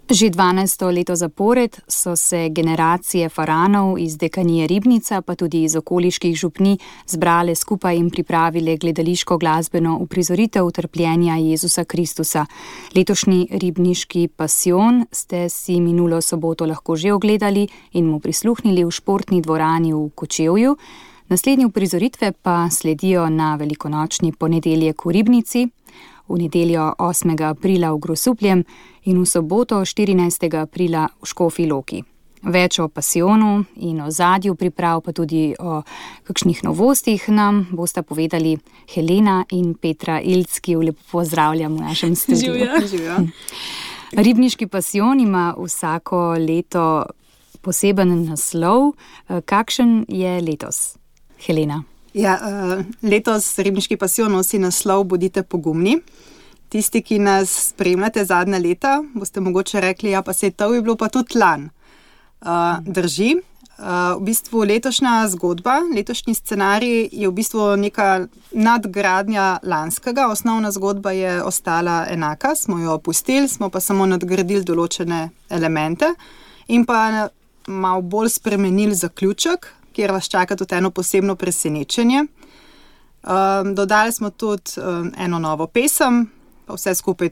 Že 12. leto zapored so se generacije faranov iz dekanije Ribnica, pa tudi iz okoliških župni, zbrale skupaj in pripravile gledališko glasbeno uprizoritev trpljenja Jezusa Kristusa. Letošnji ribniški pasijon ste si minulo soboto lahko že ogledali in mu prisluhnili v športni dvorani v Kočevju. Naslednje uprizoritve pa sledijo na velikonočni ponedeljek v Ribnici, v nedeljo 8. aprila v Grosupljem in v soboto 14. aprila v Škofji Loki. Več o pasijonu in o ozadju priprav, pa tudi o kakšnih novostih nam bosta povedali Helena in Petra Ilc, ki jo lepo pozdravljam v našem studiu. Živjo. Ribniški pasijon ima vsako leto poseben naslov. Kakšen je letos? Helena. Ja, letos Ribniški pasijon nosi naslov Bodite pogumni. Tisti, ki nas spremljate zadnja leta, boste mogoče rekli, ja pa saj to je bilo pa tudi lan. Drži. V bistvu letošnja zgodba, letošnji scenarij je v bistvu neka nadgradnja lanskega. Osnovna zgodba je ostala enaka, smo jo opustili, smo pa samo nadgradili določene elemente in pa malo bolj spremenili zaključek, kjer vas čaka tudi eno posebno presenečenje. Dodali smo tudi eno novo pesem, pa vse skupaj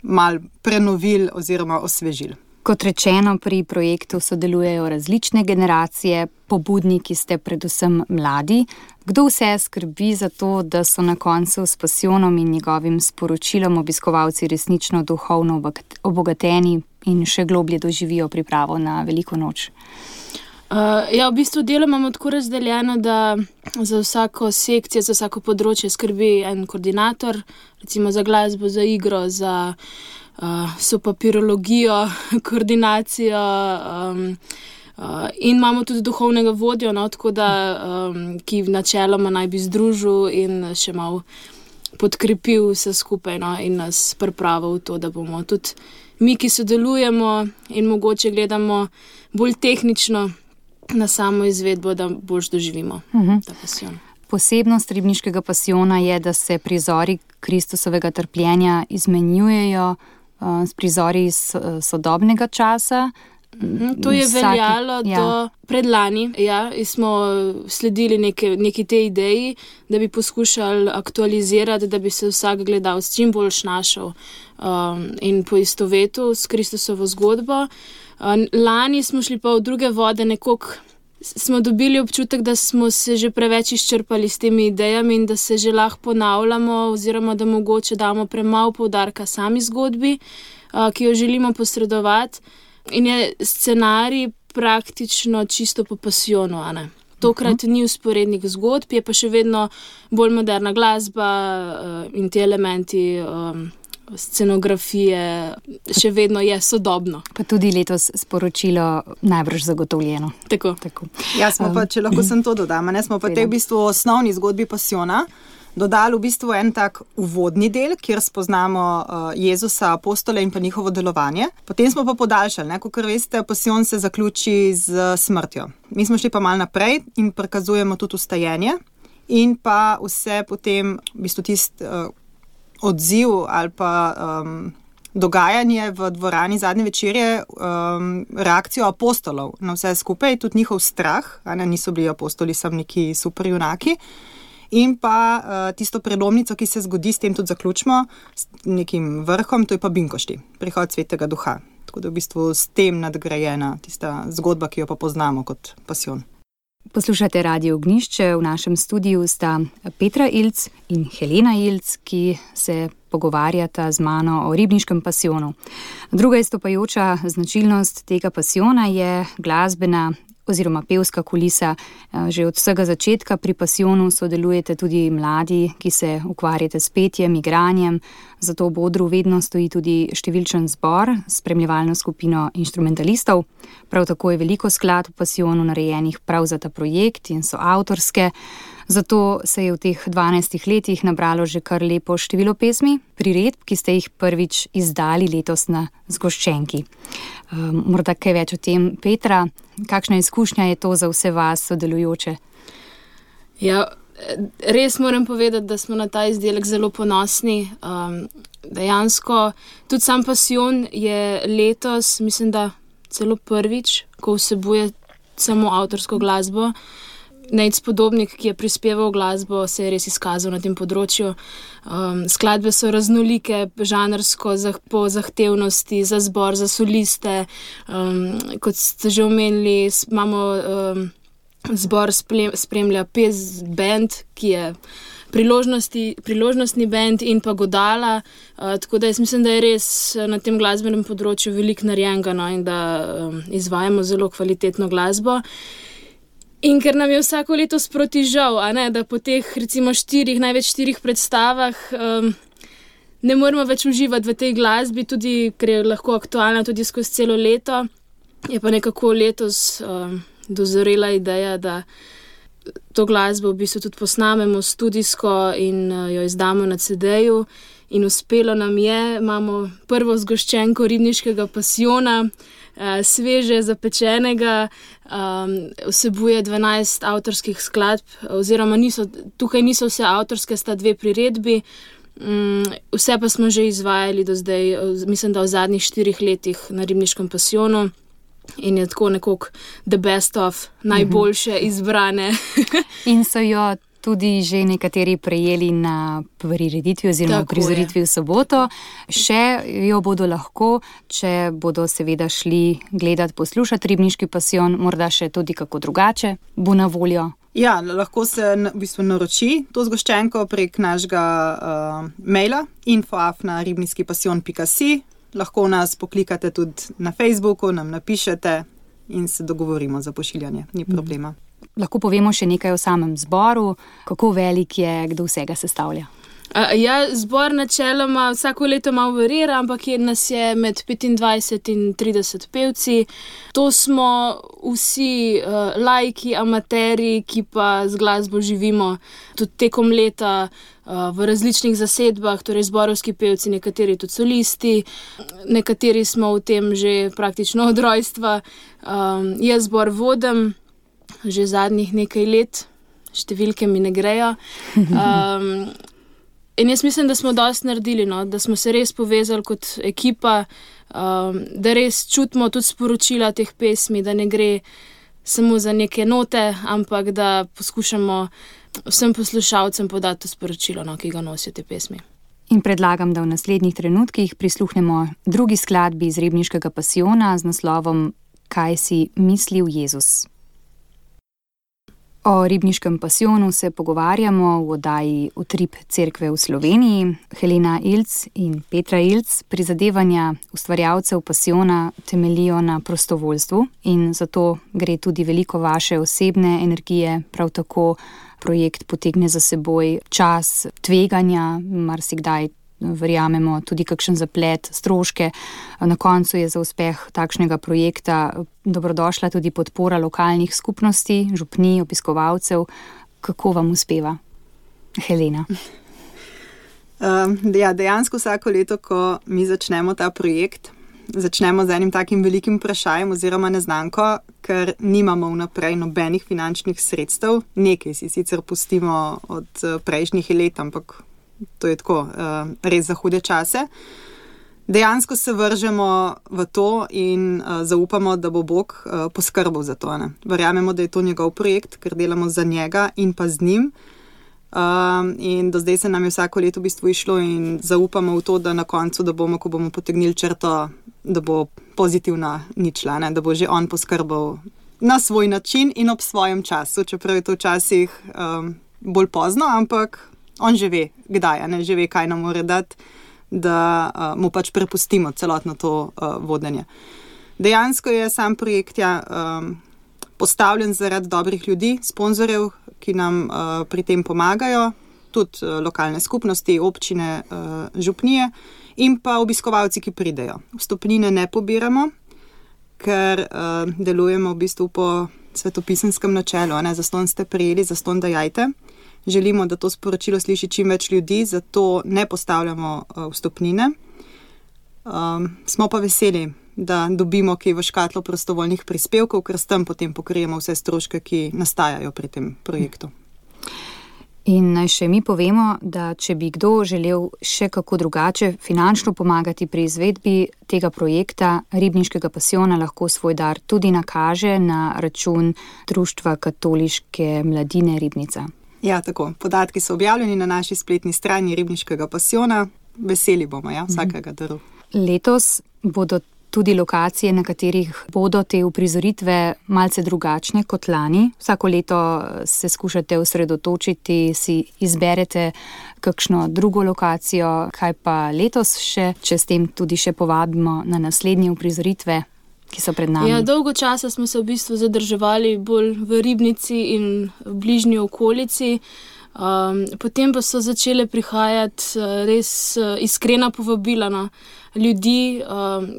malo prenovili oziroma osvežili. Kot rečeno, pri projektu sodelujejo različne generacije, pobudniki ste predvsem mladi. Kdo vse skrbi za to, da so na koncu s pasijonom in njegovim sporočilom obiskovalci resnično duhovno obogateni in še globlje doživijo pripravo na veliko noč? Ja, v bistvu delo imamo tako razdeljeno, da za vsako sekcijo, za vsako področje skrbi en koordinator, recimo za glasbo, za igro, za sopapirologijo, koordinacijo in imamo tudi duhovnega vodjo, tako da, ki načeloma naj bi združil in še malo podkrepil vse skupaj in nas pripravil v to, da bomo tudi mi, ki sodelujemo in mogoče gledamo bolj tehnično na samo izvedbo, da boljš doživimo ta pasijon. Posebnost Ribniškega pasijona je, da se prizori Kristusovega trpljenja izmenjujejo s prizori iz sodobnega časa. To je veljalo do predlani. Ja, smo sledili neki tej ideji, da bi poskušali aktualizirati, da bi se vsak gledalec čim bolj našel in poistovetil s Kristusovo zgodbo. Lani smo šli pa v druge vode, nekoliko smo dobili občutek, da smo se že preveč izčrpali s temi idejami in da se že lahko ponavljamo oziroma da mogoče damo premalo poudarka sami zgodbi, ki jo želimo posredovati. In je scenarij praktično čisto po pasijonu, a ne? Tokrat ni vzporednih zgodb, je pa še vedno bolj moderna glasba in ti elementi scenografije, še vedno je sodobno. Pa tudi letos sporočilo najbrž zagotovljeno. Tako. Ja, smo pa, če lahko sem to dodam, smo pa v bistvu osnovni zgodbi pasijona dodali v bistvu en tak uvodni del, kjer spoznamo Jezusa, apostole in pa njihovo delovanje. Potem smo pa podaljšali, kakor veste, pasijon se zaključi z smrtjo. Mi smo šli pa malo naprej in prikazujemo tudi vstajenje in pa vse potem v bistvu odziv ali pa dogajanje v dvorani zadnje večerje, reakcijo apostolov na vse skupaj, tudi njihov strah, niso bili apostoli samo neki super junaki, in pa tisto prelomnico, ki se zgodi, s tem tudi zaključimo, s nekim vrhom, to je pa binkošti, prihod Svetega Duha. Tako da v bistvu s tem nadgrajena tista zgodba, ki jo pa poznamo kot pasijon. Poslušate Radio Ognjišče, v našem studiu sta Petra Ilc in Helena Ilc, ki se pogovarjata z mano o Ribniškem pasijonu. Druga izstopajoča značilnost tega pasijona je glasbena oziroma pevska kulisa. Že od vsega začetka pri pasijonu sodelujete tudi mladi, ki se ukvarjate s petjem, igranjem, zato v odru vedno stoji tudi številčen zbor, spremljevalno skupino inštrumentalistov. Prav tako je veliko skladb v pasijonu narejenih prav za ta projekt in so avtorske. Zato se je v teh 12 letih nabralo že kar lepo število pesmi, priredb, ki ste jih prvič izdali letos na zgoščenki. Morda kaj več o tem, Petra, kakšna izkušnja je to za vse vas sodelujoče? Ja, res moram povedati, da smo na ta izdelek zelo ponosni. Dejansko tudi sam pasijon je letos, mislim, da celo prvič, ko vsebuje samo avtorsko glasbo. Nejc Podobnik, ki je prispeval glasbo, se je res izkazal na tem področju. Skladbe so raznolike, žanrsko, po zahtevnosti, za zbor, za soliste. Kot ste že omenili, imamo zbor spremlja pes band, ki je priložnostni band in pa godala. Tako da jaz mislim, da je res na tem glasbenem področju veliko narejenega, no, in da izvajamo zelo kvalitetno glasbo. In ker nam je vsako leto sproti žal, da po teh recimo največ 4 predstavah ne moremo več uživati v tej glasbi, tudi ker je lahko aktualna tudi skozi celo leto. Je pa nekako letos dozorela ideja, da to glasbo v bistvu tudi posnamemo studijsko in jo izdamo na CD-ju. In uspelo nam je, imamo prvo zgoščenko Ribniškega pasijona, sveže zapečenega, vsebuje 12 avtorskih skladb, oziroma tukaj niso vse avtorske, sta 2 priredbi, vse pa smo že izvajali do zdaj, mislim, da v zadnjih 4 letih na Ribniškem pasijonu. In je tako nekako the best of, najboljše izbrane. In so jo tudi že nekateri prejeli na prireditvi oziroma prizoritvi v soboto. Še jo bodo lahko, če bodo seveda šli gledati, poslušati Ribniški pasijon, morda še tudi kako drugače bo na voljo. Ja, lahko se v bistvu naroči to zgoščenko prek našega maila info@ribniskipasijon.si. Lahko nas poklikate tudi na Facebooku, nam napišete in se dogovorimo za pošiljanje, ni problema. Lahko povemo še nekaj o samem zboru, kako velik je, kdo vsega sestavlja? Zbor načeloma vsako leto malo varira, ampak nas je med 25 in 30 pevci. To smo vsi laiki, amateri, ki pa z glasbo živimo tudi tekom leta v različnih zasedbah, torej zborovski pevci, nekateri tudi solisti, nekateri smo v tem že praktično od rojstva. Jaz zbor vodim že zadnjih nekaj let, številke mi ne grejo. In jaz mislim, da smo dosti naredili, no? Da smo se res povezali kot ekipa, da res čutimo tudi sporočila teh pesmi, da ne gre samo za neke note, ampak da poskušamo vsem poslušalcem podati to sporočilo, no, ki ga nosijo te pesmi. In predlagam, da v naslednjih trenutkih prisluhnemo drugi skladbi iz Ribniškega pasijona z naslovom Kaj si mislil Jezus. O Ribniškem pasijonu se pogovarjamo v oddaji Utrip cerkve v Sloveniji. Helena Ilc in Petra Ilc, prizadevanja ustvarjalcev pasijona temeljijo na prostovoljstvu in zato gre tudi veliko vaše osebne energije, prav tako projekt potegne za seboj čas tveganja, marsikdaj verjamemo tudi kakšen zaplet, stroške. Na koncu je za uspeh takšnega projekta dobrodošla tudi podpora lokalnih skupnosti, župnij, obiskovalcev. Kako vam uspeva? Helena. Dejansko vsako leto, ko mi začnemo ta projekt, začnemo z enim takim velikim vprašanjem oziroma neznanko, ker nimamo vnaprej nobenih finančnih sredstev. Nekaj si sicer pustimo od prejšnjih let, ampak to je tako, res za hude čase. Dejansko se vržemo v to in zaupamo, da bo Bog poskrbel za to. Ne? Verjamemo, da je to njegov projekt, ker delamo za njega in pa z njim. In do zdaj se nam je vsako leto v bistvu išlo in zaupamo v to, da na koncu, da bomo, ko bomo potegnili črto, da bo pozitivna ničla, ne? Da bo že on poskrbel na svoj način in ob svojem času, čeprav je to včasih bolj pozno, ampak on že ve, kdaj, ne? Že ve, kaj nam mora dati, da mu pač prepustimo celotno to vodenje. Dejansko je sam projekt postavljen zaradi dobrih ljudi, sponzorjev, ki nam pri tem pomagajo, tudi lokalne skupnosti, občine, župnije in pa obiskovalci, ki pridejo. Vstopnine ne pobiramo, ker delujemo v bistvu po svetopisenskem načelu, ne? Zastonj ste prijeli, zastonj dajajte. Želimo, da to sporočilo sliši čim več ljudi, zato ne postavljamo vstopnine. Smo pa veseli, da dobimo kaj v škatlo prostovoljnih prispevkov, ker s tem potem pokrijemo vse stroške, ki nastajajo pri tem projektu. In naj še mi povemo, da če bi kdo želel še kako drugače finančno pomagati pri izvedbi tega projekta Ribniškega pasijona, lahko svoj dar tudi nakaže na račun Društva katoliške mladine Ribnica. Ja, tako. Podatki so objavljeni na naši spletni strani Ribniškega pasijona. Veseli bomo, vsakega daru. Letos bodo tudi lokacije, na katerih bodo te uprizoritve malce drugačne kot lani. Vsako leto se skušate osredotočiti, si izberete kakšno drugo lokacijo, kaj pa letos še, če s tem tudi še povabimo na naslednje uprizoritve, ki so pred nami. Ja, dolgo časa smo se v bistvu zadrževali bolj v Ribnici in v bližnji okolici. Potem pa so začele prihajati res iskrena povabila na ljudi,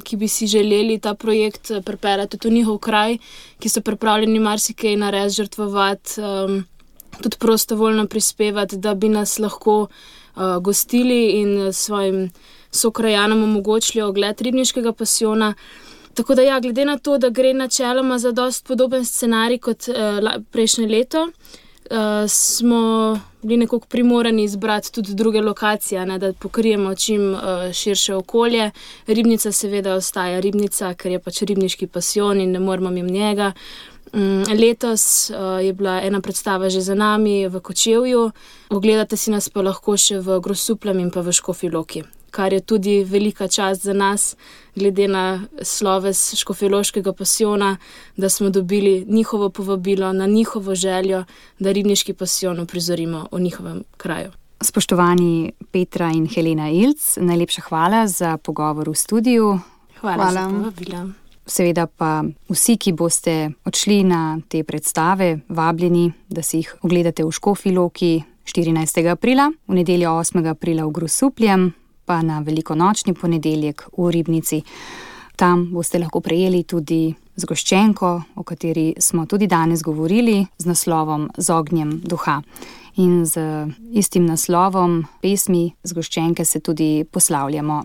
ki bi si želeli ta projekt pripeljati v njihov kraj, ki so pripravljeni marsikaj narediti, žrtvovati, tudi prostovoljno prispevati, da bi nas lahko gostili in svojim sokrajanom omogočili ogled Ribniškega pasijona. Tako da glede na to, da gre načeloma za dost podoben scenarij kot prejšnje leto, smo bili nekako primorani izbrati tudi druge lokacije, da pokrijemo čim širše okolje. Ribnica seveda ostaja Ribnica, ker je pač Ribniški pasijon in ne moramo mimo njega. Letos je bila ena predstava že za nami v Kočevju. Ogledate si nas pa lahko še v Grosupljem in pa v Škofji Loki, kar je tudi velika čast za nas, glede na sloves Škofjeloškega pasijona, da smo dobili njihovo povabilo, na njihovo željo, da Ribniški pasijon uprizorimo v njihovem kraju. Spoštovani Petra in Helena Ilc, najlepša hvala za pogovor v studiu. Hvala. Za povabilo. Seveda pa vsi, ki boste odšli na te predstave, vabljeni, da si jih ogledate v Škofji Loki 14. aprila, v nedeljo 8. aprila v Grosupljem, pa na velikonočni ponedeljek v Ribnici. Tam boste lahko prejeli tudi zgoščenko, o kateri smo tudi danes govorili, z naslovom Z ognjem duha. In z istim naslovom pesmi zgoščenke se tudi poslavljamo.